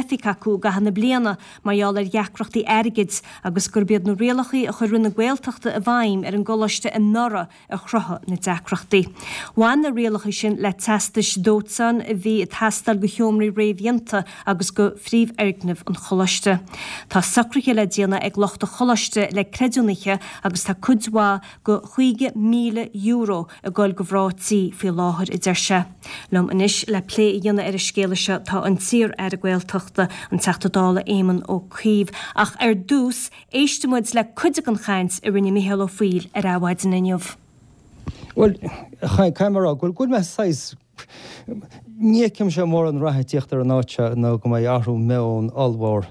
oifig acu i gcaitheamh na bliana mar gheall ar dheacrachtaí airgid agus gurb iad na rialacha a chuir Roinn na Gaeltachta i bhfeidhm ar an gcoláiste anuraidh a chruthaigh na deacrachtaí. Bhain na rialacha sin le teastais dóiteáin a bhí ag teastáil do sheomraí réamhdhéanta agus do phríomhfhoirgneamh an choláiste. Tá socruithe le déanamh ag lucht an choláiste le creidiúnaithe agus tá cuid mhaith de €50,000 ag goil do mhná tí faoi láthair, a deir sé. Liom anois le plé a dhéanamh ar an scéala seo tá an t-iar-aire Gaeltachta, an Teachta Dála Éamon Ó Cuív. Ach ar dtús, éistfidh muid le cuid den chaint a rinne Micheál Ó Foighil ar Adhmhaidin inniu. Bhuel, caithfidh mé a rá go bhfuil mé saghas, ní fheicimse mórán rath ag tíocht ar an áit seo nó go mbeidh athrú meoin ollmhór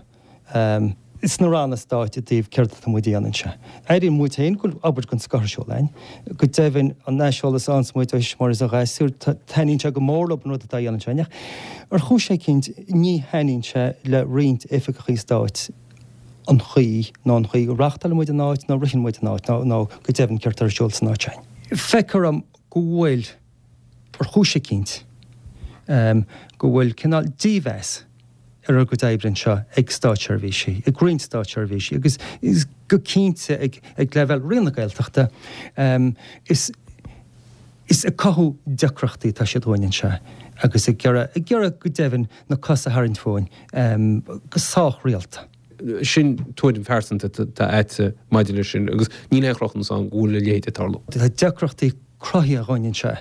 sna ranna stáit i dtaobh céard atá muid a dhéanamh anseo. Airíonn muid féin go bhfuil obair den scoth ar siúl againn. Go deimhin, an aiseolas a fhaigheanns muid ó thuismitheoirí is ó ghasúir, taitníonn sé go mór leo an rud atá á dhéanamh anseo againn. Ach ar chúis eicínt, ní thaitníonn sé le roinnt oifigeachaí stáit an chaoi, nó an chaoi go reáchtálann muid an áit, nó ritheann muid an áit, nó go deimhin céard atá ar siúl san áit sin. Feictear dom go bhfuil, ar chúis eicínt, go bhfuil cineál dímheas ar ár gcuid oibre anseo ag státseirbhísigh, ag roinnt státseirbhísigh agus go cinnte ag leibhéal Roinn na Gaeltachta. Is is ag cothú deacrachtaí atá siad dhúinn anseo agus ag iarraidh, ag iarraidh go deimhin na cosa a tharraingt fúinn go sách rialta. Sin tuairim phearsanta atá a'dsa maidir leis sin agus níl aon chruthúnas ann go bhfuil a leithéid ag tarlú. Tá deacrachtaí cruthaithe dhúinn anseo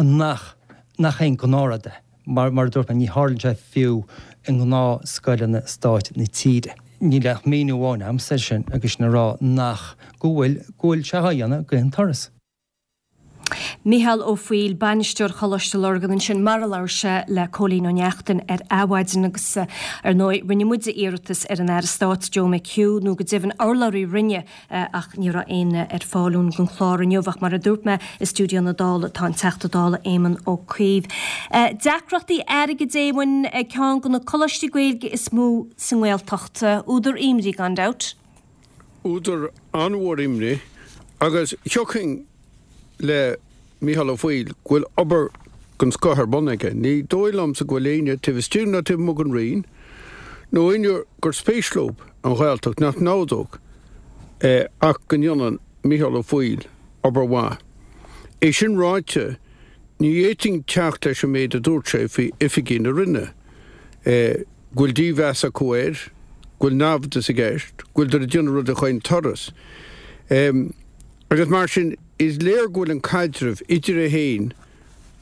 nach nach aon ghnáthrud é. Mar a dúirt mé, ní tharlaíonn sé fiú i ngnáthscoileanna stáit na tíre. Níl ach míniú amháin a'msa air sin agus sin a rá nach, go bhfuil, go bhfuil sé á dhéanamh d'aon turas. Micheál Ó Foighil, Bainisteoir Choláiste Lurgan ansin mar a labhair sé le Cóilín Ó Neachtain ar Adhmhaidin agus ar ndóigh rinne muide iarratas ar an Aire Stáit Joe McHugh nó go deimhin urlabhraí a Roinne ach ní raibh éinne ar fáil dúinn don chlár inniu ach mar a dúirt mé i stiúideo na Dála tá an Teachta Dála Éamon Ó Cuív. Deacrachtaí airgid Éamoin ag ceann de na coláistí Gaeilge is mó sa nGaeltacht. Údar imní gan dabht. Údar an-mhór imní agus thiocfainn le Micheál Ó Foighil go bhfuil obair den scoth ar bun aige. Ní dóigh liomsa go bhfuil éinne taobh istigh ná taobh amuigh den Roinn, nó éinne gur spéis leo an Ghaeltacht nach n-ordódh ach go ndéanann Micheál Ó Foighil obair mhaith. É sin ráite, ní fhéadfainn teacht leis an méid a dúirt sé faoi oifigigh na Roinne, go bhfuil dímheas acu air, go bhfuil naimhdeas i gceist, go bhfuileadar ag déanamh rudaí chaon turas. Agus mar sin, is léir go bhfuil an caidreamh idir é féin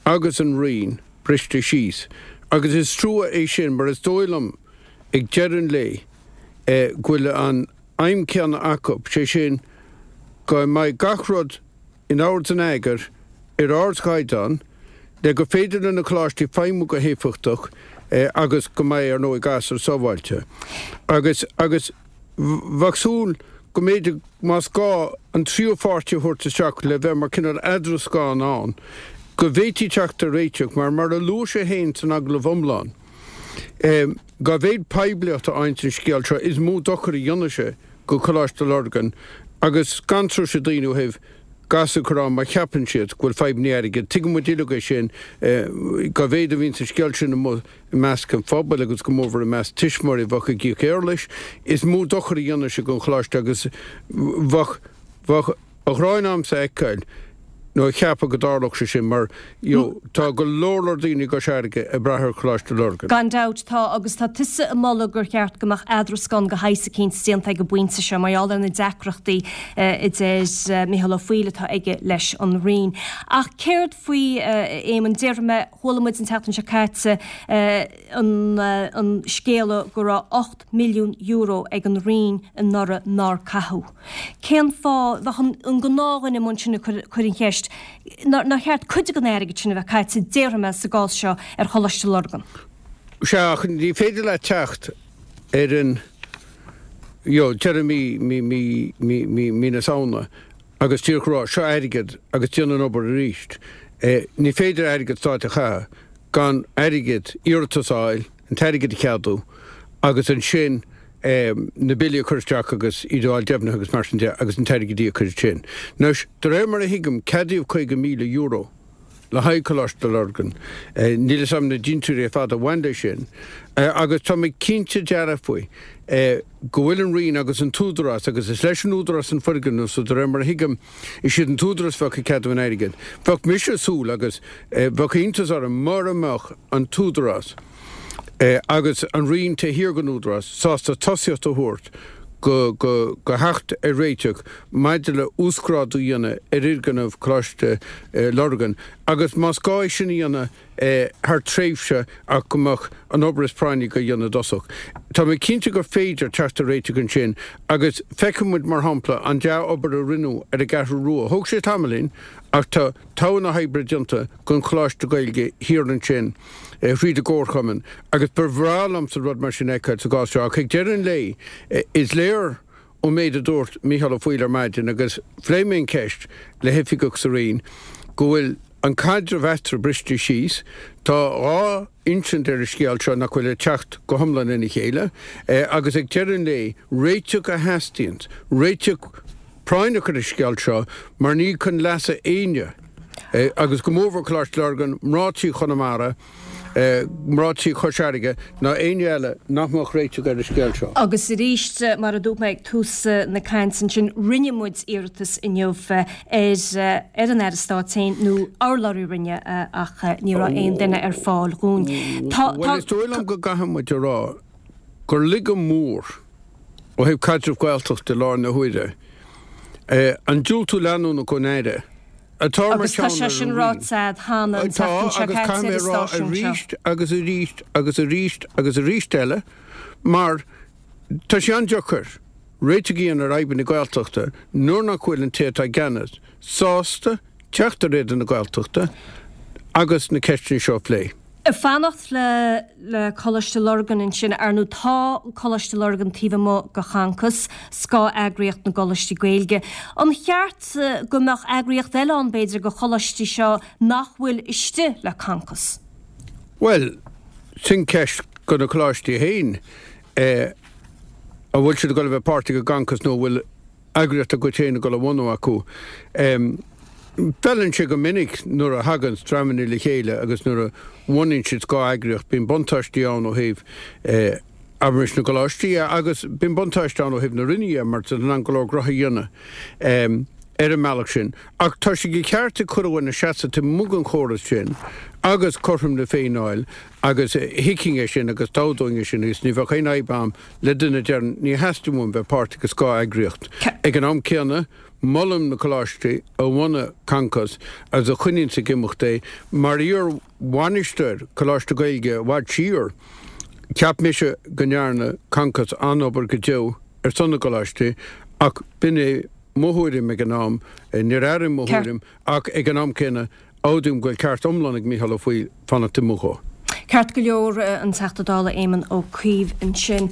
agus an Roinn briste síos. Agus is trua é sin mar is dóigh liom ag deireadh an lae go bhfuil an aidhm céanna acu, sé sin go mbeidh gach rud in ord is in eagar ar ardchaighdeán le gur féidir le na coláistí feidhmiú go héifeachtach agus go mbeidh, ar ndóigh, gasúir sábháilte. Agus, agus bheadh súil go mb'fhéidir, más gá, an tríú pháirtí a thabhairt isteach le bheith mar cineál eadrascán ann, go bhféadfaí teacht ar réiteach, mar, mar a luaigh sé féin san agallamh iomlán, dá mhéad poiblíocht a fhaigheanns an scéal seo, is mó dochar a dhéanfaidh sé go Coláiste Lurgan agus gan tuirse daoine ó thaobh gasúir a chur ann má cheapann siad go bhfuil fadhbanna airgid. Tuigeann muid uilig é sin, dá mhéad a bhíonns an scéal sin amuigh i measc an phobail agus go mórmhór i measc tuismitheoirí a bheadh ag íoc éarlais, is mó dochar a dhéanfaidh sé don choláiste agus bheadh, bheadh an ghráin a'msa a fheiceáil nó a cheapadh go dtarlódh sé sin mar you know tá go leor leor daoine i gCois Fharraige ag brath ar Choláiste Lurgan. Gan dabht tá agus tá tusa ag moladh gur cheart go mbeadh eadrascán de shaghas eicínt déanta ag an bpointe seo mar gheall ar na deacrachtaí a deir Micheál Ó Foighil atá aige leis an Roinn. Ach céard faoi, a Éamoin, déarfaidh mé, Chuala muid an tseachtain seo caite an scéala go raibh €8 milliún ag an Roinn anuraidh nár caitheadh. Cén fáth, bheadh an gnáthdhuine amuigh ansin ag cur an cheist, nár cheart cuid den airgead sin a bheith caite, déarfaidh mé, sa gcás seo, ar Choláiste Lurgan? Sea, ach ní féidir leat teacht ar an, you know, deireadh mí, mí, mí, mí, mí, mí na Samhna agus díreach rá, seo airgead agus déan an obair arís. Ní féidir airgead stáit a chaitheamh gan airgead, iarratas a fháil, an t-airgead a cheadú agus ansin na billí a chur isteach agus iad a fháil deimhnithe agus mar sin de agus an t-airgead a íoc ansin. Anois, de réir mar a thuigim, ceadaíodh €50,000. le haghaidh Coláiste Lurgan. Níl fhios a'm na dintiúirí ar fad a bhain leis sin agus tá mé cinnte dearfa faoi go bhfuil an Roinn agus an tÚdarás, agus is leis an Údarás an foirgneamh so de réir mar a thuigim is iad an tÚdarás a bheadh ag ceadú an airgid. Bheadh mise ag súil agus bheadh iontas orm mura mbeadh an tÚdarás agus an Roinn taobh thiar den Údarás sásta tosaíocht a thabhairt go go theacht ar réiteach maidir le uasghrádú a dhéanamh ar fhoirgneamh Choláiste Lurgan agus más gá é sin a dhéanamh thar tréimhse ach go mbeadh an obair is práinní á dhéanamh i dtosach. Tá mé cinnte gur féidir teacht ar réiteach ansin agus feiceann muid mar shampla an dea-obair a rinneadh ar an gCeathrú Rua. Thóg sé tamaillín ach tá togha na hoibre déanta don Choláiste Gaeilge thiar ansin thríd an gComharchumann agus ba bhreá liomsa rud mar sin a fheiceáil sa gcás seo ach ag deireadh an lae is léir ón méid a dúirt Mícheál Ó Foighil ar maidin agus phléigh mé an cheist le hoifigeach sa Roinn go bhfuil an caidreamh eatarthu briste síos. Tá 2 insint ar an scéal seo nach bhfuil ag teacht go hiomlán lena chéile agus ag deireadh an lae réiteach a theastaíonns, réiteach práinneach ar an scéal seo mar ní chun leasa éinne agus go mórmhór Coláiste Lurgan, mná tí Chonamara, mná tí Chois Fharraige ná éinne eile nach mbeadh réiteach ar an scéal seo. Agus arís, mar a dúirt mé ag tús na cainte ansin, rinne muid iarratas inniu ar ar an Aire Stáit féin nó urlabhraí Roinne ach ní raibh aon duine ar fáil dhúinn. Tá, tá. Bhuel, is dóigh liom go gcaithfidh muid a rá gur laige mór ó thaobh caidreamh Gaeltachta i láthair na huaire an diúltú leanúnach ón Aire atá mar Agus tá sé sin ráite a'd cheana an tseachtain seo caite ar an stáisiún seo. Arís agus arís agus arís agus arís eile mar tá sé an-deacair réiteach a dhéanamh ar fhadhbanna Gaeltachta nuair nach bhfuil an té atá i gceannas sásta teacht ar éadan na Gaeltachta agus na ceisteanna seo a phlé. Ag fanacht le le Coláiste Lurgan ansin, ar ndóigh tá Coláiste Lurgan taobh amuigh de Choncos, scáth-eagraíocht na gcoláistí Gaeilge. An cheart go mbeadh eagraíocht eile ann b'fhéidir do choláistí seo nach bhfuil istigh le Concos? Bhuel, sin ceist do na coláistí féin, an bhfuil siad ag dul a bheith páirteach i gConcos nó an bhfuil eagraíocht dá gcuid féin ag dul a bhunú acu. Feileann sé go minic nuair a thaganns dreamanna le chéile agus nuair a bhunaíonn siad scáth-eagraíocht, bíonn buntáistí ann ó thaobh, abraimis, na gcoláistí dhe agus bíonn buntáiste ann ó thaobh na Roinne dhe mar tá siad in ann go leor gnoithe a dhéanamh ar an mbealach sin. Ach tá sé de cheart ag chuile dhuine seasamh taobh amuigh den chóras sin agus cothrom na Féinne a fháil agus thuigfinn é sin agus d'ordóinn é sin agus ní bheadh aon fhadhb a'm le duine a deireann ní theastaíonn uaim bheith páirteach i scáth-eagraíocht. Ag an am céanna, molaim na coláistí a bhunaigh Concos agus a choinníonns ag imeacht é. Mar iar-bhainisteoir Coláiste Gaeilge i bhfad siar, cheap mise go ndearna Concos an-obair go deo ar son na gcoláistí ach b'in é mo thuairim ag an am, níor athraigh mo thuairim ach ag an am céanna Admhaím go bhfuil ceart iomlán ag Mícheál Ó Foighil fanacht amuigh dhó. Ceart go leor, an Teachta Dála Éamon Ó Cuív ansin.